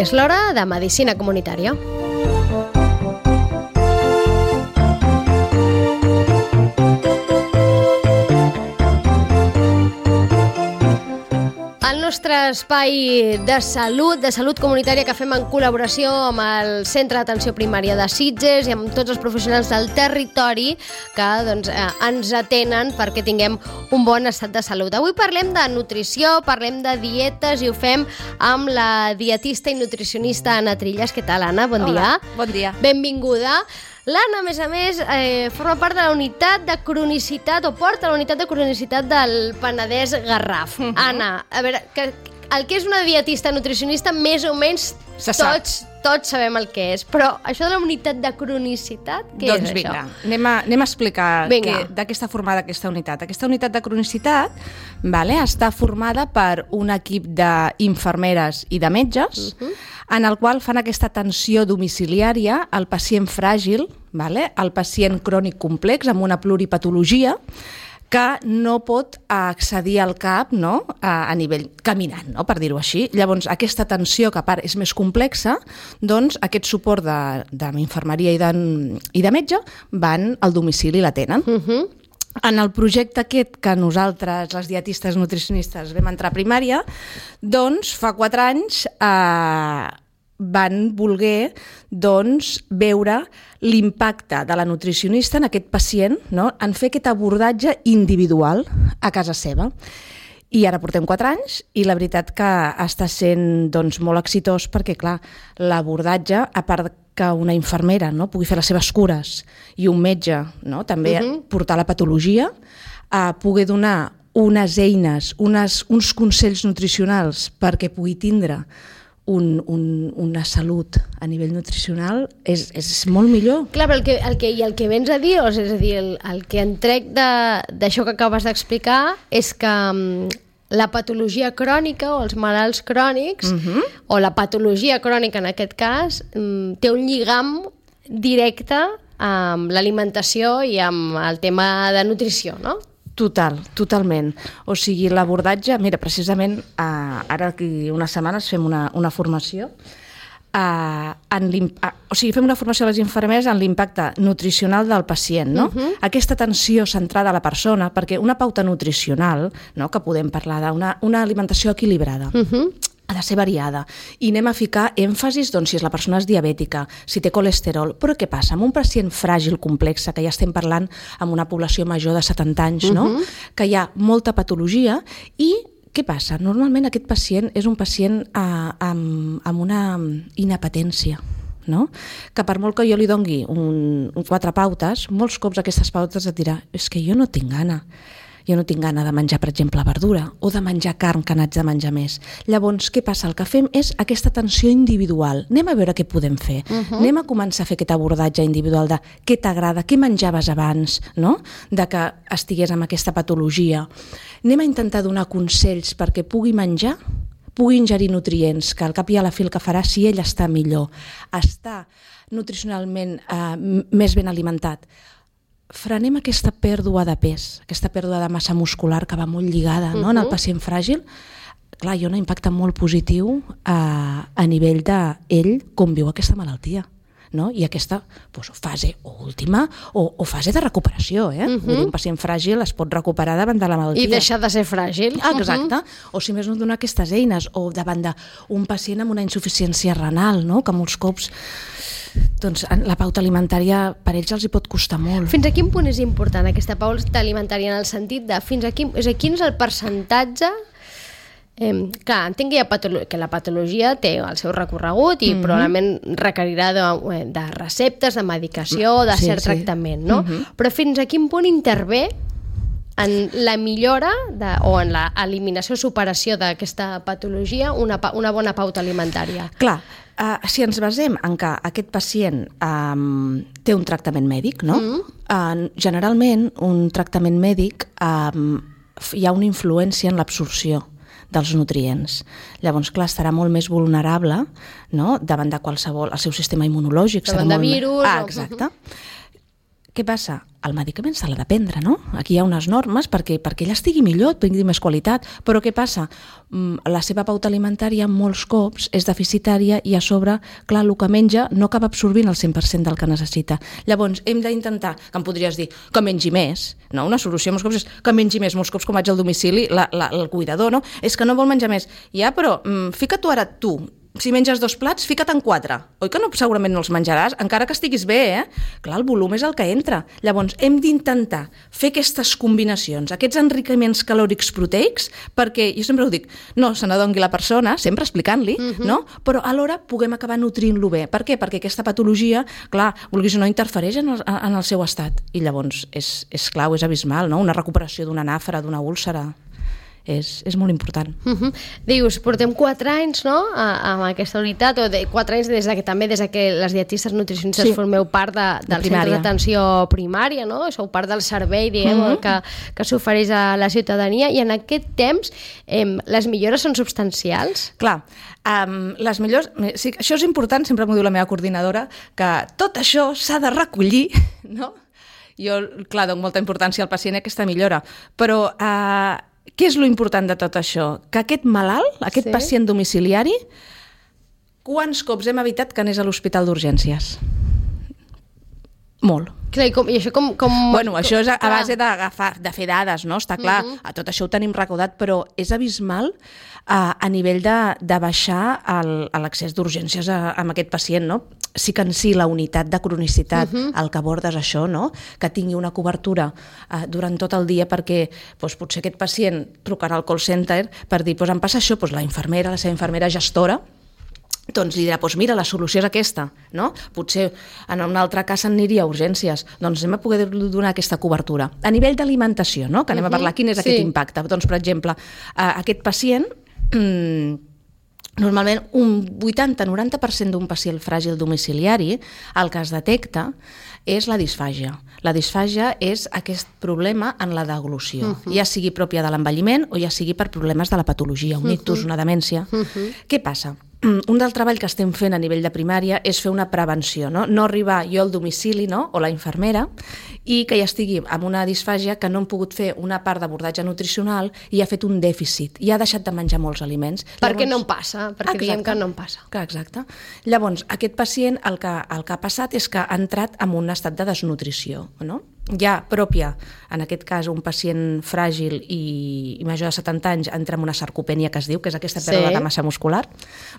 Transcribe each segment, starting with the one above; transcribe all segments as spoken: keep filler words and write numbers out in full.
És l'hora de Medicina Comunitària. El nostre espai de salut, de salut comunitària que fem en col·laboració amb el Centre d'Atenció Primària de Sitges i amb tots els professionals del territori que doncs, eh, ens atenen perquè tinguem un bon estat de salut. Avui parlem de nutrició, parlem de dietes i ho fem amb la dietista i nutricionista Anna Trillas. Què tal, Anna? Bon Hola, dia. Bon dia. Benvinguda. L'Anna, a més a més, eh, forma part de la unitat de cronicitat o porta la unitat de cronicitat del Penedès Garraf. Uh-huh. Anna, a veure, que, el que és una dietista nutricionista, més o menys tots, tots sabem el que és, però això de la unitat de cronicitat, què doncs és vinga, això? Doncs vinga, anem a explicar que, de què està formada aquesta unitat. Aquesta unitat de cronicitat vale, està formada per un equip d'infermeres i de metges, uh-huh. en el qual fan aquesta atenció domiciliària al pacient fràgil, vale, al pacient crònic complex amb una pluripatologia, que no pot accedir al C A P, no? a, a nivell caminant, no? per dir-ho així. Llavors, aquesta atenció, que a part és més complexa, doncs aquest suport d'infermeria i, de, i de metge van al domicili i l'atenen. Uh-huh. En el projecte aquest que nosaltres, les dietistes nutricionistes, vam entrar a primària, doncs fa quatre anys eh, van voler doncs, veure l'impacte de la nutricionista en aquest pacient, no? en fer aquest abordatge individual a casa seva. I ara portem quatre anys i la veritat que està sent doncs, molt exitós perquè, clar, l'abordatge, a part que una infermera no, pugui fer les seves cures i un metge no, també uh-huh. portar la patologia, a poder donar unes eines, unes, uns consells nutricionals perquè pugui tindre Un, un, una salut a nivell nutricional és, és molt millor. Clar, però el que, el que, i el que vens a dir, és a dir, el, el que en trec d'això que acabes d'explicar és que um, la patologia crònica o els malalts crònics, uh-huh. o la patologia crònica en aquest cas, um, té un lligam directe amb l'alimentació i amb el tema de nutrició, no? Total, totalment. O sigui, l'abordatge, mira, precisament eh, ara aquí unes setmanes fem una, una formació, eh, en eh, o sigui, fem una formació a les infermeres en l'impacte nutricional del pacient, no? Uh-huh. Aquesta atenció centrada a la persona, perquè una pauta nutricional, no, que podem parlar d'una una alimentació equilibrada, uh-huh. ha de ser variada i anem a ficar èmfasis doncs, si és la persona és diabètica, si té colesterol, però què passa? Amb un pacient fràgil, complex, que ja estem parlant amb una població major de setanta anys, uh-huh. no? que hi ha molta patologia i què passa? Normalment aquest pacient és un pacient eh, amb, amb una inapetència, no? que per molt que jo li dongui un, un quatre pautes, molts cops aquestes pautes et dirà és que jo no tinc gana. Jo no tinc gana de menjar, per exemple, verdura o de menjar carn que n'haig de menjar més. Llavors, què passa? El que fem és aquesta atenció individual. Anem a veure què podem fer. Uh-huh. Anem a començar a fer aquest abordatge individual de què t'agrada, què menjaves abans, no? de que estigués amb aquesta patologia. Anem a intentar donar consells perquè pugui menjar, pugui ingerir nutrients, que al cap i a la fi el que farà si ell està millor, està nutricionalment eh, més ben alimentat. Frenem aquesta pèrdua de pes, aquesta pèrdua de massa muscular que va molt lligada no? uh-huh. en el pacient fràgil. Clar, hi ha un impacte molt positiu a, a nivell d'ell com viu aquesta malaltia. No? I aquesta doncs, fase última o, o fase de recuperació. Eh? Uh-huh. Un pacient fràgil es pot recuperar davant de la malaltia. I deixar de ser fràgil. Ah, exacte. Uh-huh. O si més no donar aquestes eines. O davant d'un pacient amb una insuficiència renal, no? que molts cops doncs, la pauta alimentària per ells els hi pot costar molt. Fins a quin punt és important aquesta pauta alimentària en el sentit de fins a quin, és a quin és el percentatge. Eh, clar, entenc que, hi ha patolo- que la patologia té el seu recorregut i mm-hmm. probablement requerirà de, de receptes, de medicació, de sí, cert sí. tractament, no? Mm-hmm. Però fins a quin punt intervé en la millora de, o en l'eliminació o superació d'aquesta patologia una, una bona pauta alimentària? Clar, uh, si ens basem en que aquest pacient um, té un tractament mèdic, no? Mm. Uh, generalment un tractament mèdic um, hi ha una influència en l'absorció dels nutrients. Llavors, clar, estarà molt més vulnerable, no? davant de qualsevol, el seu sistema immunològic. Davant serà de molt virus. Ah, exacte. Uh-huh. Què passa? el medicament se l'ha de prendre, no? Aquí hi ha unes normes perquè, perquè ella estigui millor, tingui més qualitat, però què passa? La seva pauta alimentària molts cops és deficitària i a sobre, clar, el que menja no acaba absorbint el cent per cent del que necessita. Llavors, hem d'intentar, que em podries dir, que mengi més, no? Una solució molts cops és que mengi més, molts cops com vaig al domicili, la, la, el cuidador, no? És que no vol menjar més. Ja, però mm, fica-t'ho ara tu, si menges dos plats, fica't en quatre. Oi que no, segurament no els menjaràs, encara que estiguis bé, eh? Clar, el volum és el que entra. Llavors, hem d'intentar fer aquestes combinacions, aquests enriquiments calòrics proteics, perquè, jo sempre ho dic, no se n'adongui la persona, sempre explicant-li, uh-huh. no? Però alhora puguem acabar nutrint-lo bé. Per què? Perquè aquesta patologia, clar, vulguis o no, interfereix en el, en el seu estat. I llavors, és, és clau, és abismal, no? Una recuperació d'una nàfera, d'una úlcera... És, és molt important. Uh-huh. Dius, portem quatre anys, no?, amb aquesta unitat, o de, quatre anys des de que també des de que les dietistes nutricionistes sí. formeu part de, del centre d'atenció primària, no? Sou part del servei, diguem, uh-huh. que, que s'ofereix a la ciutadania, i en aquest temps eh, les millores són substancials? Clar, um, les millors... Sí, això és important, sempre m'ho diu la meva coordinadora, que tot això s'ha de recollir, no? Jo, clar, dono molta importància al pacient a aquesta millora, però... Uh, què és lo important de tot això? Que aquest malalt, aquest sí. pacient domiciliari, quants cops hem evitat que anés a l'hospital d'urgències? Molt. Clar, i, com, i això com... com bueno, això és a, a base d'agafar, de fer dades, no? Està clar, uh-huh. a tot això ho tenim recordat, però és abismal a, a nivell de, de baixar l'accés d'urgències a, a aquest pacient, no? Sí que en si la unitat de cronicitat, uh-huh. el que abordes això, no? Que tingui una cobertura uh, durant tot el dia, perquè doncs, potser aquest pacient trucarà al call center per dir, doncs em passa això, doncs la infermera, la seva infermera gestora, doncs li dirà, doncs mira, la solució és aquesta, no? Potser en un altre cas aniria a urgències, doncs anem a poder donar aquesta cobertura. A nivell d'alimentació, no? Que anem uh-huh. a parlar, quin és sí. aquest impacte? Doncs, per exemple, uh, aquest pacient... Mm, normalment un vuitanta a noranta per cent d'un pacient fràgil domiciliari el que es detecta és la disfàgia. La disfàgia és aquest problema en la deglució, uh-huh. ja sigui pròpia de l'envelliment o ja sigui per problemes de la patologia, un ictus, uh-huh. una demència. Uh-huh. Què passa? Un del treball que estem fent a nivell de primària és fer una prevenció, no? No arribar jo al domicili, no? O la infermera, i que ja estigui amb una disfàgia que no hem pogut fer una part d'abordatge nutricional i ha fet un dèficit, i ha deixat de menjar molts aliments. Perquè Llavors, no em passa, perquè exacte, diem que no em passa. Que exacte. Llavors, aquest pacient el que, el que ha passat és que ha entrat en un estat de desnutrició, no? Ja pròpia, en aquest cas un pacient fràgil i, i major de setanta anys entra en una sarcopènia que es diu, que és aquesta pèrdua sí. de massa muscular.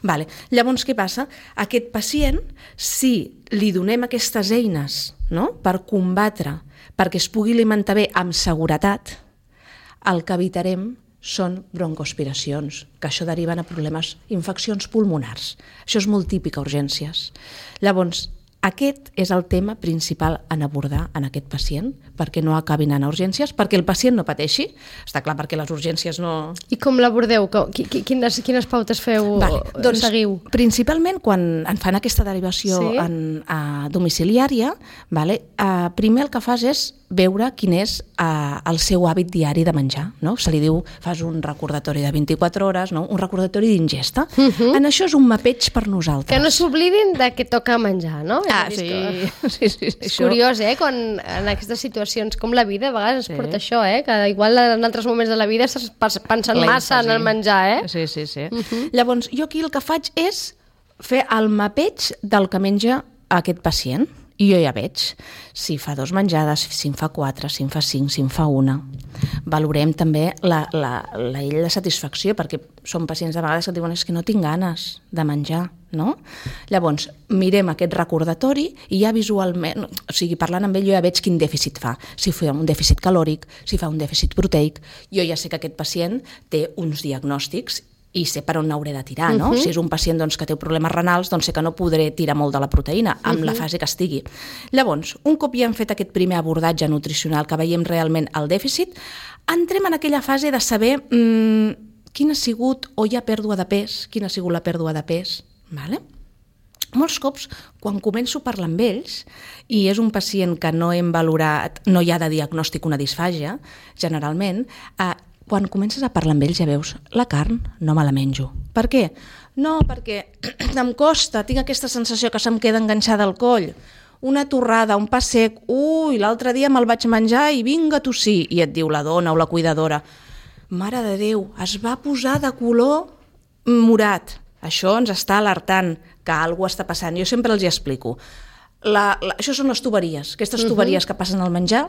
Vale. Llavors, què passa? Aquest pacient, si li donem aquestes eines, no?, per combatre, perquè es pugui alimentar bé amb seguretat, el que evitarem són broncoaspiracions, que això deriven a problemes, infeccions pulmonars. Això és molt típic a urgències. Llavors, aquest és el tema principal en abordar en aquest pacient, perquè no acabin anant a urgències, perquè el pacient no pateixi. Està clar, perquè les urgències no... I com l'abordeu? Quines, quines pautes feu? Vale, doncs, seguiu? Principalment, quan en fan aquesta derivació sí? en, a domiciliària, vale, eh, primer el que fas és veure quin és eh, el seu hàbit diari de menjar. No? Se li diu, fas un recordatori de vint-i-quatre hores, no? Un recordatori d'ingesta. Uh-huh. En això és un mapeig per nosaltres. Que no s'oblidin de que toca menjar, no? Ah, sí. sí, sí, sí. És curiós, eh? Quan en aquestes situacions, com la vida, a vegades ens sí. porta això, eh? Que igual en altres moments de la vida estàs pensant massa en el menjar, eh? Sí, sí, sí. Uh-huh. Llavors, jo aquí el que faig és fer el mapeig del que menja aquest pacient. I jo ja veig si fa dos menjades, si en fa quatre, si en fa cinc, si en fa una. Valorem també la, la, la illa de satisfacció, perquè són pacients de vegades que diuen és que no tinc ganes de menjar, no? Llavors, mirem aquest recordatori i ja visualment, o sigui, parlant amb ell jo ja veig quin dèficit fa. Si fa un dèficit calòric, si fa un dèficit proteic, jo ja sé que aquest pacient té uns diagnòstics i sé per on n'hauré de tirar, no? Uh-huh. Si és un pacient doncs, que té problemes renals, doncs sé que no podré tirar molt de la proteïna, amb uh-huh. la fase que estigui. Llavors, un cop ja hem fet aquest primer abordatge nutricional, que veiem realment el dèficit, entrem en aquella fase de saber mmm, quina ha sigut, o hi ha pèrdua de pes, quina ha sigut la pèrdua de pes, vale? Molts cops, quan començo a parlar amb ells, i és un pacient que no hem valorat, no hi ha de diagnòstic una disfàgia, generalment, eh, quan comences a parlar amb ells ja veus, la carn no me la menjo. Per què? No, perquè em costa, tinc aquesta sensació que se'm queda enganxada al coll. una torrada, un pa sec, ui, l'altre dia me'l vaig menjar i vinga a tossir, i et diu la dona o la cuidadora, mare de Déu, es va posar de color morat. Això ens està alertant que alguna cosa està passant. Jo sempre els hi explico. La, la, això són les tuberies. Aquestes tuberies uh-huh. que passen al menjar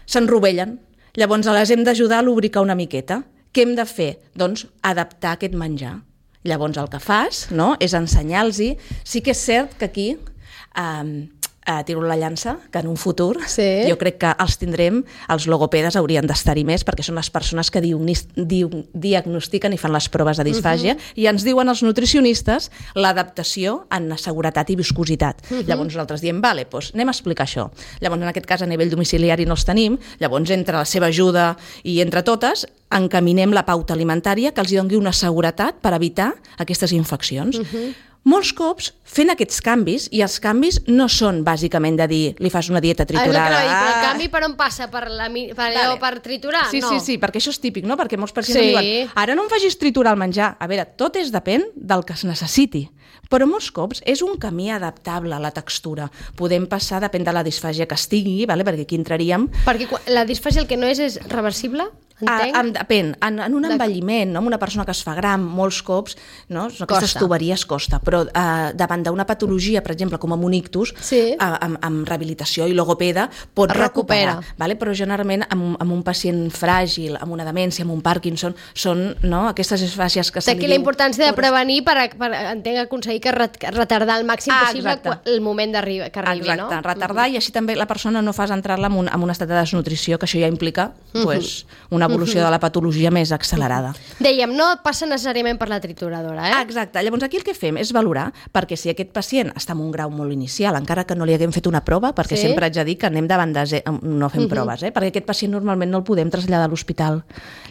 s'enrovellen. Llavors les hem d'ajudar a lubricar una miqueta. Què hem de fer? Doncs adaptar aquest menjar. Llavors el que fas, no?, és ensenyar-los-hi. Sí que és cert que aquí eh, eh, tiro la llança, que en un futur sí. jo crec que els tindrem, els logopedes haurien d'estar-hi més, perquè són les persones que diagnis, di, diagnostiquen i fan les proves de disfàgia, uh-huh. i ens diuen els nutricionistes l'adaptació en seguretat i viscositat. Uh-huh. Llavors nosaltres diem, vale, doncs anem a explicar això. Llavors en aquest cas a nivell domiciliari no els tenim, llavors entre la seva ajuda i entre totes encaminem la pauta alimentària que els doni una seguretat per evitar aquestes infeccions. Uh-huh. Molts cops fent aquests canvis, i els canvis no són bàsicament de dir li fas una dieta triturada. Ah, és el, el canvi per on passa? Per, la, per, vale. allò, per triturar? Sí, no. sí, sí, perquè això és típic, no? Perquè molts pacients sí. diuen, ara no em facis triturar el menjar. A veure, tot és depèn del que es necessiti. Però molts cops és un camí adaptable a la textura. Podem passar, depèn de la disfàgia que estigui, vale? Perquè aquí entraríem... Perquè la disfàgia el que no és és reversible? Entenc? A, depèn, en, en un envelliment, no? Amb una persona que es fa gran, molts cops, no? Aquestes costa. tuberies costa, però eh, davant d'una patologia, per exemple, com amb un ictus, sí. eh, amb, amb rehabilitació i logopeda, pot recuperar. Vale? Però generalment amb, amb un pacient fràgil, amb una demència, amb un Parkinson, són no? aquestes disfàcies que se li diu... Aquí la importància de prevenir per, per entenc, aconseguir que retardar el màxim ah, possible exacte. el moment d'arribar, que arribi, exacte, no? retardar, mm-hmm. i així també la persona no fas entrar-la en un, en un estat de desnutrició, que això ja implica mm-hmm. pues, una evolució de la patologia més accelerada. Dèiem, no passa necessàriament per la trituradora, eh? Ah, exacte. Llavors aquí el que fem és valorar, perquè si aquest pacient està en un grau molt inicial, encara que no li haguem fet una prova, perquè sí? sempre haig de dir que anem davant de ze- no fem uh-huh. proves, eh? perquè aquest pacient normalment no el podem traslladar a l'hospital.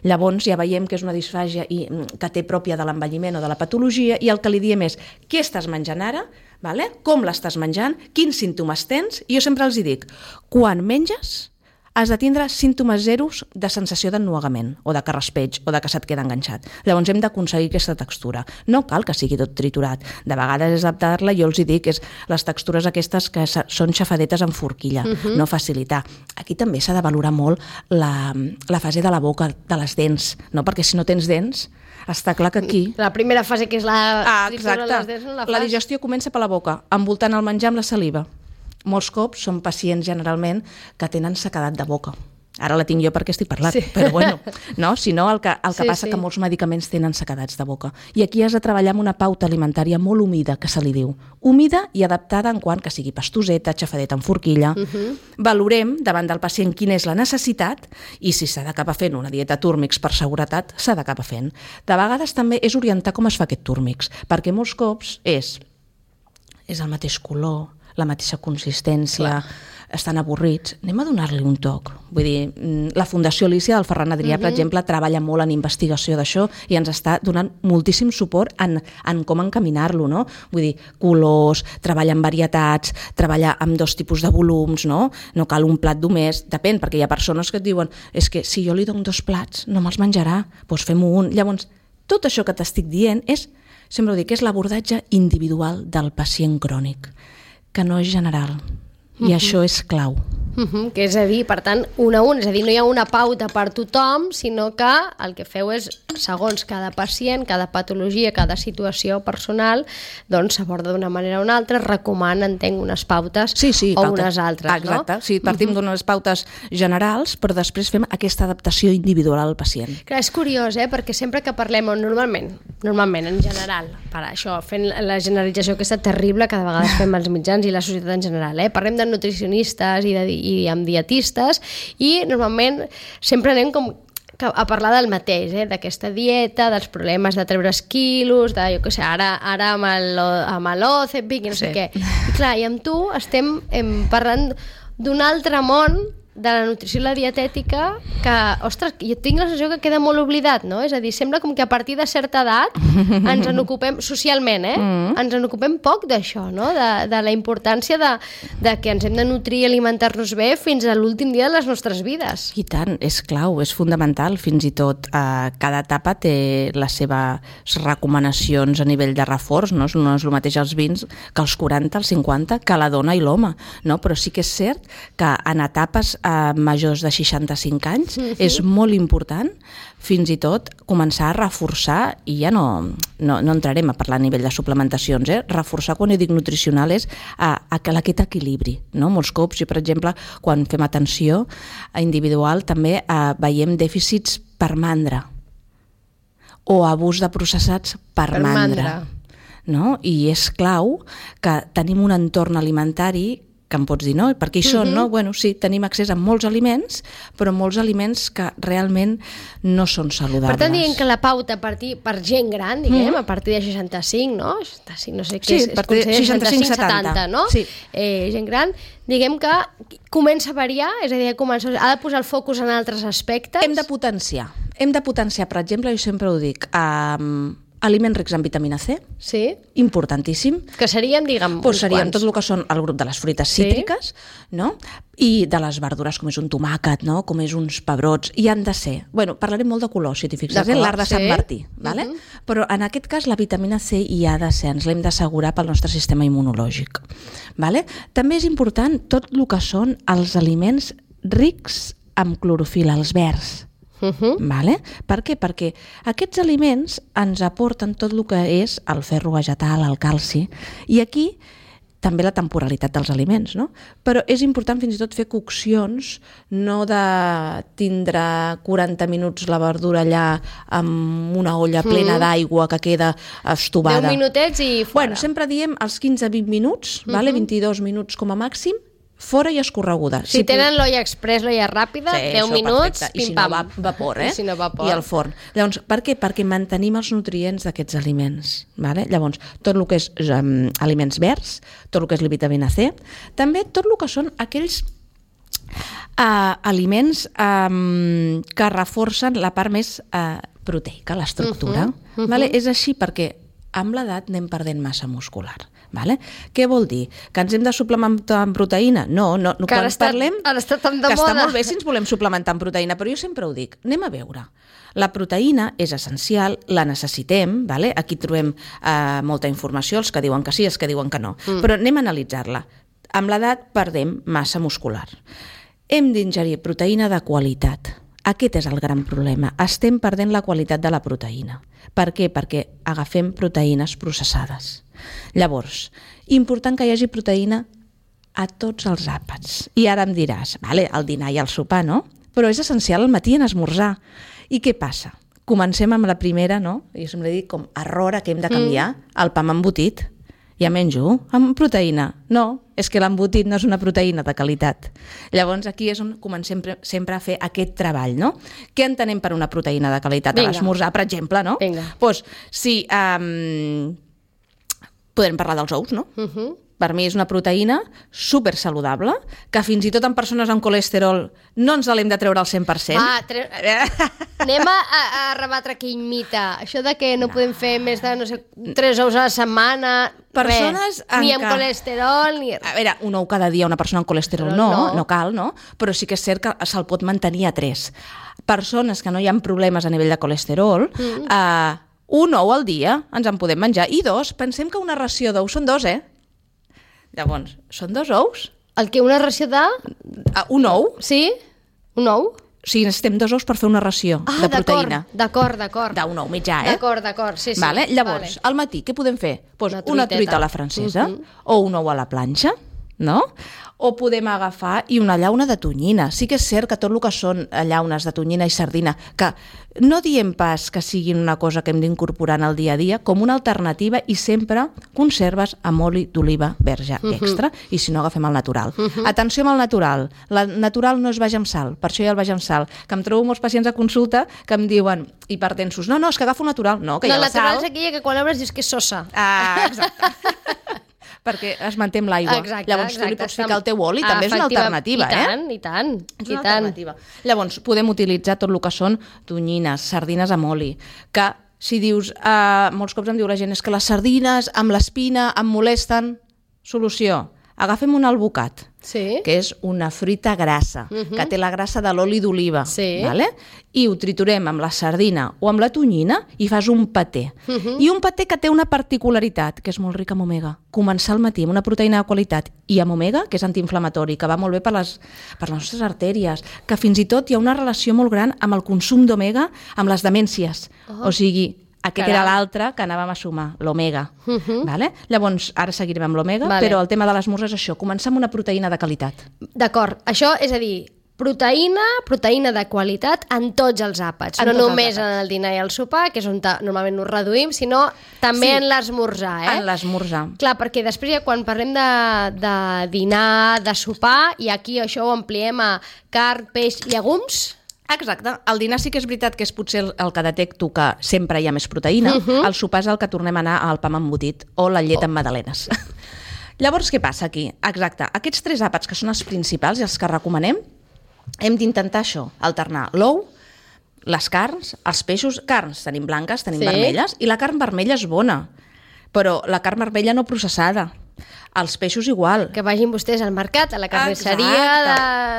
Llavors ja veiem que és una disfàgia i, que té pròpia de l'envelliment o de la patologia, i el que li diem és què estàs menjant ara, vale? Com l'estàs menjant, quins símptomes tens, i jo sempre els hi dic, quan menges has de tindre símptomes zeros de sensació d'ennuegament, o de que raspeig, o de que se't queda enganxat. Llavors hem d'aconseguir aquesta textura. No cal que sigui tot triturat. De vegades és adaptar-la, jo els hi dic, és les textures aquestes que són xafadetes en forquilla, uh-huh. no facilitar. Aquí també s'ha de valorar molt la, la fase de la boca, de les dents, no? Perquè si no tens dents, està clar que aquí... La primera fase, que és la... Ah, exacte. Les dents, no la, la digestió comença per la boca, envoltant el menjar amb la saliva. Molts cops són pacients generalment que tenen sequedat de boca. Ara la tinc jo perquè estic parlant, sí. però bueno, no? Si no, el que, el que sí, passa sí. que molts medicaments tenen sequedats de boca. I aquí has de treballar amb una pauta alimentària molt humida, que se li diu. Humida i adaptada en quant que sigui pastoseta, xafadeta en forquilla. Uh-huh. Valorem davant del pacient quina és la necessitat i si s'ha d'acabar fent una dieta túrmix per seguretat, s'ha d'acabar fent. De vegades també és orientar com es fa aquest túrmix, perquè molts cops és, és el mateix color, la mateixa consistència, clar. Estan avorrits, anem a donar-li un toc. Vull dir, la Fundació Alícia del Ferran Adrià, uh-huh. per exemple, treballa molt en investigació d'això i ens està donant moltíssim suport en, en com encaminar-lo, no? Vull dir, colors, treballa amb varietats, treballa amb dos tipus de volums, no? No cal un plat només, depèn, perquè hi ha persones que et diuen és que si jo li dono dos plats no me'ls menjarà, doncs fem-ho un. Llavors, tot això que t'estic dient és, sempre ho dic, és l'abordatge individual del pacient crònic, que no és general, i uh-huh. això és clau. Uh-huh. Que és a dir, per tant, un a un, és a dir, no hi ha una pauta per tothom, sinó que el que feu és, segons cada pacient, cada patologia, cada situació personal, doncs s'aborda d'una manera o una altra, recomana, entenc, unes pautes sí, sí, o pautes. unes altres, ah, exacte. no? Sí, partim uh-huh. d'unes pautes generals, però després fem aquesta adaptació individual al pacient. Clar, és curiós, eh? Perquè sempre que parlem, normalment, normalment, en general, per això, fent la generalització aquesta terrible que de vegades fem els mitjans i la societat en general, eh? Parlem de nutricionistes i, de, i amb dietistes i normalment sempre anem com a parlar del mateix, eh? D'aquesta dieta, dels problemes de treure quilos, de, jo què sé, ara, ara amb el, amb l'Ozempic i no sé sí. què. I clar, i amb tu estem em, parlant d'un altre món de la nutrició i la dietètica que, ostres, jo tinc la sensació que queda molt oblidat, no? És a dir, sembla com que a partir de certa edat ens en ocupem, socialment, eh? Mm. Ens en ocupem poc d'això, no? De, de la importància de, de que ens hem de nutrir i alimentar-nos bé fins a l'últim dia de les nostres vides. I tant, és clau, és fundamental, fins i tot eh, cada etapa té les seves recomanacions a nivell de reforç, no? No és el mateix els vins que els quaranta, els cinquanta, que la dona i l'home, no? Però sí que és cert que en etapes eh, majors de seixanta-cinc anys mm-hmm. és molt important fins i tot començar a reforçar, i ja no, no, no entrarem a parlar a nivell de suplementacions, eh? Reforçar, quan jo dic nutricional, és a, a que aquest equilibri, no? Molts cops, jo per exemple, quan fem atenció individual també eh, veiem dèficits per mandra o abús de processats per, per mandra. mandra. No? I és clau que tenim un entorn alimentari que em pots dir, no? Perquè això, uh-huh. no? Bueno, sí, tenim accés a molts aliments, però molts aliments que realment no són saludables. Per tant, diguem que la pauta a partir, per gent gran, diguem, uh-huh. a partir de seixanta-cinc, no? seixanta-cinc, no sé què sí, és, es considera seixanta-cinc setanta, no? Sí. Eh, gent gran, diguem que comença a variar, és a dir, comença, ha de posar el focus en altres aspectes. Hem de potenciar. Hem de potenciar, per exemple, jo sempre ho dic, um, aliments rics en vitamina C, sí. importantíssim. Que serien, diguem, pues serien tot el que són el grup de les fruites cítriques, sí. no? I de les verdures, com és un tomàquet, no? Com és uns pebrots, i han de ser... Bueno, parlarem molt de colors, si t'hi fixes, eh? L'art de sí. Sant Martí, vale? Uh-huh. Però en aquest cas la vitamina C hi ha de ser, ens l'hem d'assegurar pel nostre sistema immunològic. Vale? També és important tot el que són els aliments rics amb clorofil·la, els verds. Uh-huh. Vale? Per què? Perquè aquests aliments ens aporten tot el que és el ferro vegetal, el calci, i aquí també la temporalitat dels aliments, no? Però és important fins i tot fer coccions, no de tindre quaranta minuts la verdura allà amb una olla plena mm. d'aigua que queda estovada. deu minutets i fora. Bueno, sempre diem els quinze a vint minuts, uh-huh. vale? vint-i-dos minuts com a màxim, fora i escorreguda. Si, si tenen l'olla express, l'olla ràpida, sí, deu minuts, perfecte. pim-pam. I si no va vapor, eh? I si no vapor. I al forn. Llavors, per què? Perquè mantenim els nutrients d'aquests aliments. Vale? Llavors, tot el que és um, aliments verds, tot el que és la vitamina C, també tot el que són aquells uh, aliments um, que reforcen la part més uh, proteica, l'estructura. Uh-huh, uh-huh. Vale? És així perquè amb l'edat anem perdent massa muscular. Vale? Què vol dir? Que ens hem de suplementar amb proteïna? No, no, no que quan ara està, parlem ara està tan de que moda. Està molt bé si ens volem suplementar amb proteïna, però jo sempre ho dic, anem a veure. La proteïna és essencial, la necessitem, vale? Aquí trobem eh, molta informació, els que diuen que sí, els que diuen que no, mm. però anem a analitzar-la. Amb l'edat perdem massa muscular. Hem d'ingerir proteïna de qualitat. Aquest és el gran problema. Estem perdent la qualitat de la proteïna. Per què? Perquè agafem proteïnes processades. Llavors, important que hi hagi proteïna a tots els àpats. I ara em diràs, vale, el dinar i el sopar, no? Però és essencial al matí en esmorzar. I què passa? Comencem amb la primera, no? Jo sempre dic com error que hem de canviar, mm. el pa amb embotit. Ja menjo amb proteïna. No, és que l'embotit no és una proteïna de qualitat. Llavors aquí és on comencem sempre a fer aquest treball, no? Què entenem per una proteïna de qualitat? Vinga. A l'esmorzar, per exemple, no? Vinga. Pues, sí, um, podem parlar dels ous, no? Uh-huh. Per mi és una proteïna super saludable, que fins i tot en persones amb colesterol no ens l'hem de treure al cent per cent. Ah, tre... anem a, a rebatre aquell mite. Això de que no, no podem fer més de, no sé, tres ous a la setmana, persones res, ni amb ca... colesterol, ni... A veure, un ou cada dia, una persona amb colesterol no, no, no cal, no? Però sí que és cert que se'l pot mantenir a tres. Persones que no hi ha problemes a nivell de colesterol, mm. eh, un ou al dia ens en podem menjar. I dos, pensem que una ració d'ous són dos, eh? Llavors, són dos ous? El que una ració de... Uh, un ou? Sí, un ou. O sigui, necessitem dos ous per fer una ració ah, de proteïna. D'acord, d'acord. D'un ou mitjà, eh? D'acord, d'acord, sí, sí. Vale? Llavors, vale. Al matí, què podem fer? Pues una, una truita a la francesa, uh-huh. o un ou a la planxa, no? O podem agafar i una llauna de tonyina. Sí que és cert que tot el que són llaunes de tonyina i sardina, que no diem pas que siguin una cosa que hem d'incorporar en el dia a dia, com una alternativa, i sempre conserves amb oli d'oliva verge uh-huh. extra, i si no agafem el natural. Uh-huh. Atenció amb el natural. La natural no és baix amb sal, per això hi ha el baix amb sal, que em trobo molts pacients a consulta que em diuen, hipertensos, no, no, és que agafo natural. No, que no, hi ha la natural sal. És aquella que quan l'obres dius que és sosa. Ah, exacte. perquè es manté amb l'aigua. Exacte, Llavors tu li exacte. pots ficar el teu oli, també és una alternativa, I eh? tant, i tant. És i una tant. alternativa. Llavors, podem utilitzar tot el que són tonyines, sardines amb oli, que si dius, eh, molts cops em diu la gent, és que les sardines amb l'espina em molesten. Solució, agafem un albocat, Sí. que és una fruita grassa, uh -huh. que té la grassa de l'oli d'oliva, Sí. vale? I ho triturem amb la sardina o amb la tonyina i fas un paté. Uh -huh. I un paté que té una particularitat, que és molt ric en omega. Començar al matí amb una proteïna de qualitat i amb omega, que és antiinflamatori, que va molt bé per les, per les nostres artèries, que fins i tot hi ha una relació molt gran amb el consum d'omega amb les demències. Oh. O sigui, aquest Caram. era l'altre que anàvem a sumar, l'omega. Uh -huh. Vale? Llavors, ara seguirem amb l'omega, Vale. però el tema de l'esmorzar és això, començar amb una proteïna de qualitat. D'acord, això és a dir, proteïna, proteïna de qualitat en tots els àpats, En no tots els només àpats. en el dinar i el sopar, que és on normalment nos reduïm, sinó també Sí. en l'esmorzar, eh? En l'esmorzar. Clar, perquè després ja quan parlem de, de dinar, de sopar, i aquí això ho ampliem a carn, peix, llegums... Exacte. El dinar sí que és veritat que és potser el, el que detecto que sempre hi ha més proteïna. Uh -huh. El sopar és el que tornem a anar al pa amb embotit o la llet oh. amb magdalenes. Llavors, què passa aquí? Exacte. Aquests tres àpats que són els principals i els que recomanem, hem d'intentar això, alternar l'ou, les carns, els peixos. Carns tenim blanques, tenim Sí. vermelles, i la carn vermella és bona, però la carn vermella no processada. Els peixos igual. Que vagin vostès al mercat, a la carnisseria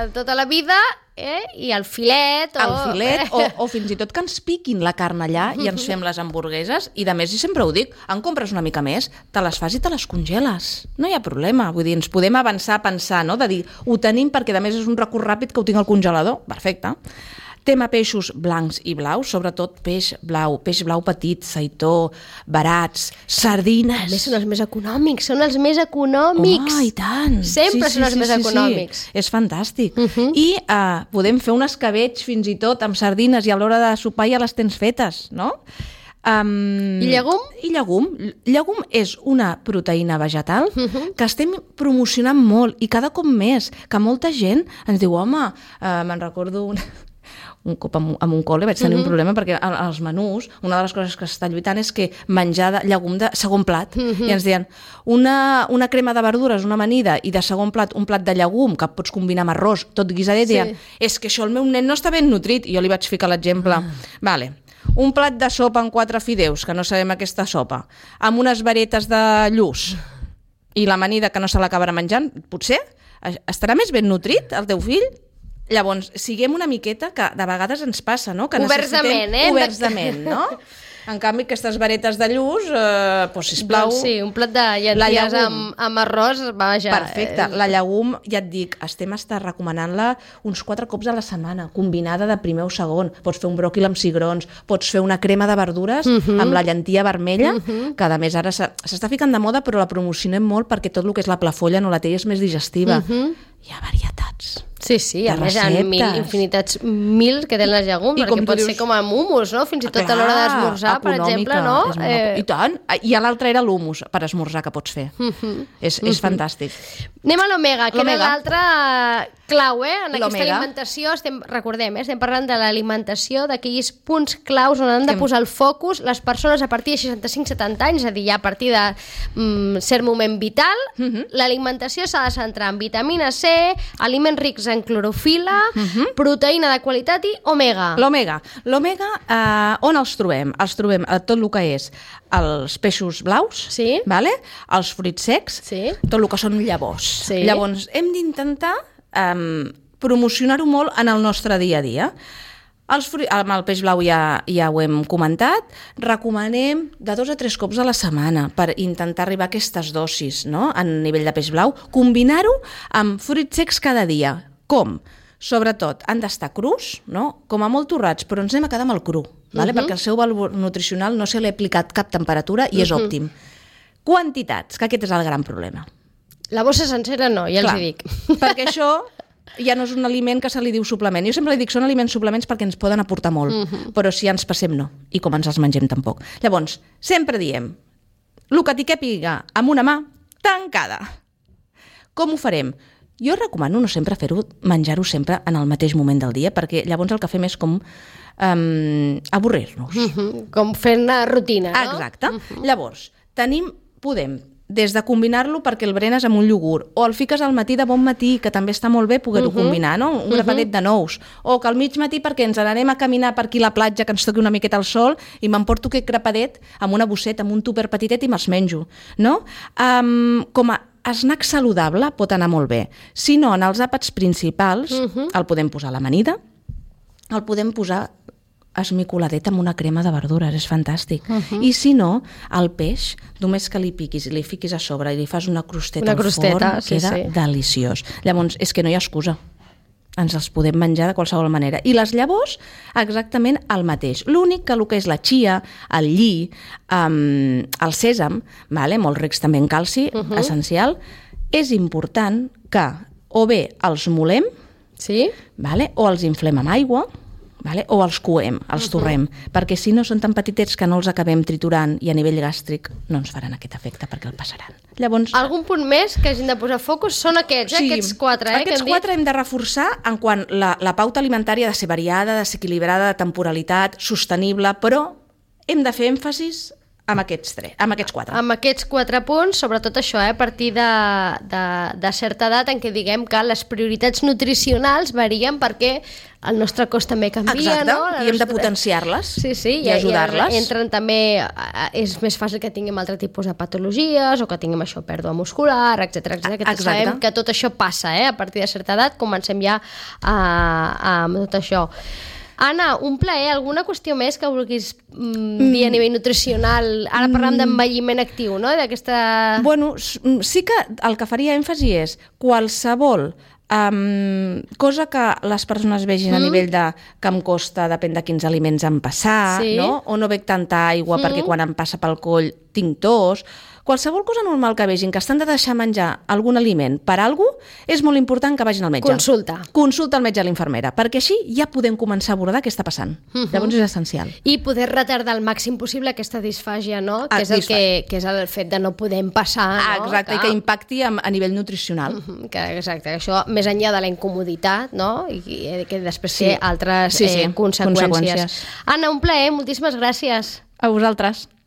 de tota la vida, eh? I el filet... O... El filet, o, o fins i tot que ens piquin la carn allà i ens fem les hamburgueses, i de més, i sempre ho dic, en compres una mica més, te les fas i te les congeles. No hi ha problema, vull dir, ens podem avançar a pensar, no?, de dir, ho tenim perquè a més és un recurs ràpid que ho tinc al congelador. Perfecte. Tema peixos blancs i blaus, sobretot peix blau, peix blau petit, seitó, barats, sardines... A més, són els més econòmics, són els més econòmics. Home, i tant! Sempre són els més econòmics. Sí. És fantàstic. Uh -huh. I uh, podem fer un escabeig fins i tot amb sardines i a l'hora de sopar ja les tens fetes, no? Um, I llegum? I llegum. Llegum és una proteïna vegetal uh -huh. que estem promocionant molt i cada cop més, que molta gent ens diu, home, uh, me'n recordo un... un cop amb, amb un col·le vaig tenir uh -huh. un problema perquè als menús una de les coses que s'està lluitant és que menjar de llegum de segon plat uh -huh. i ens deien una, una crema de verdures, una amanida i de segon plat un plat de llegum que pots combinar amb arròs, tot guisadet, sí. Deien, és que això el meu nen no està ben nutrit, i jo li vaig ficar l'exemple uh -huh. vale, un plat de sopa amb quatre fideus, que no sabem aquesta sopa, amb unes varetes de lluç i l'amanida que no se l'acabarà menjant, potser estarà més ben nutrit el teu fill? Llavors, siguem una miqueta, que de vegades ens passa, no? Que oberts de ment, eh? Oberts de ment, no? En canvi, aquestes varetes de lluç, eh, doncs, sisplau... Doncs sí, un plat de llenties amb, amb arròs, vaja... Perfecte. La llegum, ja et dic, estem estar recomanant-la uns quatre cops a la setmana, combinada de primer o segon. Pots fer un bròquil amb cigrons, pots fer una crema de verdures uh -huh. amb la llentia vermella, uh -huh. que a més ara s'està ficant de moda, però la promocionem molt perquè tot el que és la plafolla no la té, és més digestiva. Uh -huh. Hi ha varietats. Sí, sí, a més hi ha mil, infinitats mil que tenen les llegums, I perquè pot dius, ser com amb humus, no? Fins i tot clar, a l'hora d'esmorzar, per exemple, no? Molt... Eh... I tant. I l'altre era l'humus per esmorzar que pots fer. Uh -huh. És, és uh -huh. fantàstic. Anem a l'omega, que era l'altre clau, eh? En aquesta alimentació, estem, recordem, eh? estem parlant de l'alimentació, d'aquells punts claus on han de posar el focus les persones a partir de seixanta-cinc setanta anys, és a dir, ja a partir de mm, cert moment vital. Uh -huh. L'alimentació s'ha de centrar en vitamina C, aliments rics en clorofila, uh -huh. proteïna de qualitat i omega. L'omega. L'omega, eh, on els trobem? Els trobem a tot el que és els peixos blaus, sí. Vale? Els fruits secs, sí. Tot el que són llavors. Sí. Llavors, hem d'intentar eh, promocionar-ho molt en el nostre dia a dia. Els fruits, amb el peix blau ja, ja ho hem comentat, recomanem de dos a tres cops a la setmana per intentar arribar a aquestes dosis, no?, a nivell de peix blau, combinar-ho amb fruits secs cada dia. Com? Sobretot, han d'estar crus, no?, com a molt torrats, però ens anem a quedar amb el cru, vale? uh -huh. perquè el seu valor nutricional no se li ha aplicat cap temperatura i és uh -huh. òptim. Quantitats, que aquest és el gran problema. La bossa sencera no, ja Clar, els hi dic. Perquè això ja no és un aliment que se li diu suplement. Jo sempre li dic, són aliments suplements perquè ens poden aportar molt, uh -huh. però si ens passem no, i com ens els mengem tampoc. Llavors, sempre diem, el que t'hi càpiga amb una mà tancada. Com ho farem? Jo recomano no sempre fer-ho, menjar-ho sempre en el mateix moment del dia, perquè llavors el que fem és com um, avorrir-nos. Uh -huh. Com fer una rutina, no? Exacte. Uh -huh. Llavors, tenim, podem des de combinar-lo perquè el berenes amb un iogurt, o el fiques al matí de bon matí, que també està molt bé poder-ho uh -huh. combinar, no? Un grapadet uh -huh. de nous, o que al mig matí perquè ens n'anem a caminar per aquí a la platja, que ens toqui una miqueta al sol, i m'emporto aquest grapadet amb una bosseta, amb un tupper petitet i me'ls menjo, no? Um, com a snack saludable pot anar molt bé. Si no, en els àpats principals uh -huh. el podem posar a l'amanida, el podem posar esmicoladet amb una crema de verdures, és fantàstic. Uh -huh. I si no, el peix, només que li piquis i li fiquis a sobre i li fas una crosteta una al crosteta, forn, sí, queda sí. deliciós. Llavors, és que no hi ha excusa. Ens els podem menjar de qualsevol manera. I les llavors, exactament el mateix. L'únic que el que és la chia, el lli, um, el sèsam, vale? Molt rics també en calci, uh -huh. essencial, és important que o bé els molem, sí? vale? O els inflem amb aigua, vale? O els coem, els uh-huh. torrem, perquè si no són tan petitets que no els acabem triturant i a nivell gàstric no ens faran aquest efecte perquè el passaran. Llavors, algun punt més que hagin de posar focus són aquests, sí, eh? Aquests quatre. Eh, aquests que hem quatre dit. hem de reforçar en quant la, la pauta alimentària ha de ser variada, de ser equilibrada, de temporalitat, sostenible, però hem de fer èmfasis amb aquests tres, amb aquests quatre. Amb aquests quatre punts, sobretot això, eh, a partir de, de, de certa edat en què diguem que les prioritats nutricionals varien perquè el nostre cos també canvia, Exacte, no? La i hem de nostra... potenciar-les sí, sí, i, i ajudar-les. I entren també, és més fàcil que tinguem altre tipus de patologies o que tinguem això, pèrdua muscular, etcètera, etcètera. Que Exacte. sabem que tot això passa, eh? A partir de certa edat comencem ja a, a, amb tot això. Anna, un plaer. Alguna qüestió més que vulguis mm, dir a nivell nutricional? Ara parlem d'envelliment actiu, no? D'aquesta... Bueno, sí que el que faria èmfasi és qualsevol um, cosa que les persones vegin mm. a nivell de que em costa, depèn de quins aliments em passar, sí. no? O no bec tanta aigua mm. perquè quan em passa pel coll tinc tos. Qualsevol cosa normal que vegin que estan de deixar menjar algun aliment per algú, és molt important que vagin al metge. Consulta. Consulta al metge a l'infermera, perquè així ja podem començar a abordar què està passant. Uh -huh. Llavors és essencial. I poder retardar al màxim possible aquesta disfàgia, no? Ah, que, és el que, que és el fet de no poder passar. Ah, no? exacte, que... i que impacti a, a nivell nutricional. Uh -huh, que, exacte, això més enllà de la incomoditat, no? I que, que després sí. té altres sí, sí. Eh, conseqüències. conseqüències. Anna, un plaer, moltíssimes gràcies. A vosaltres.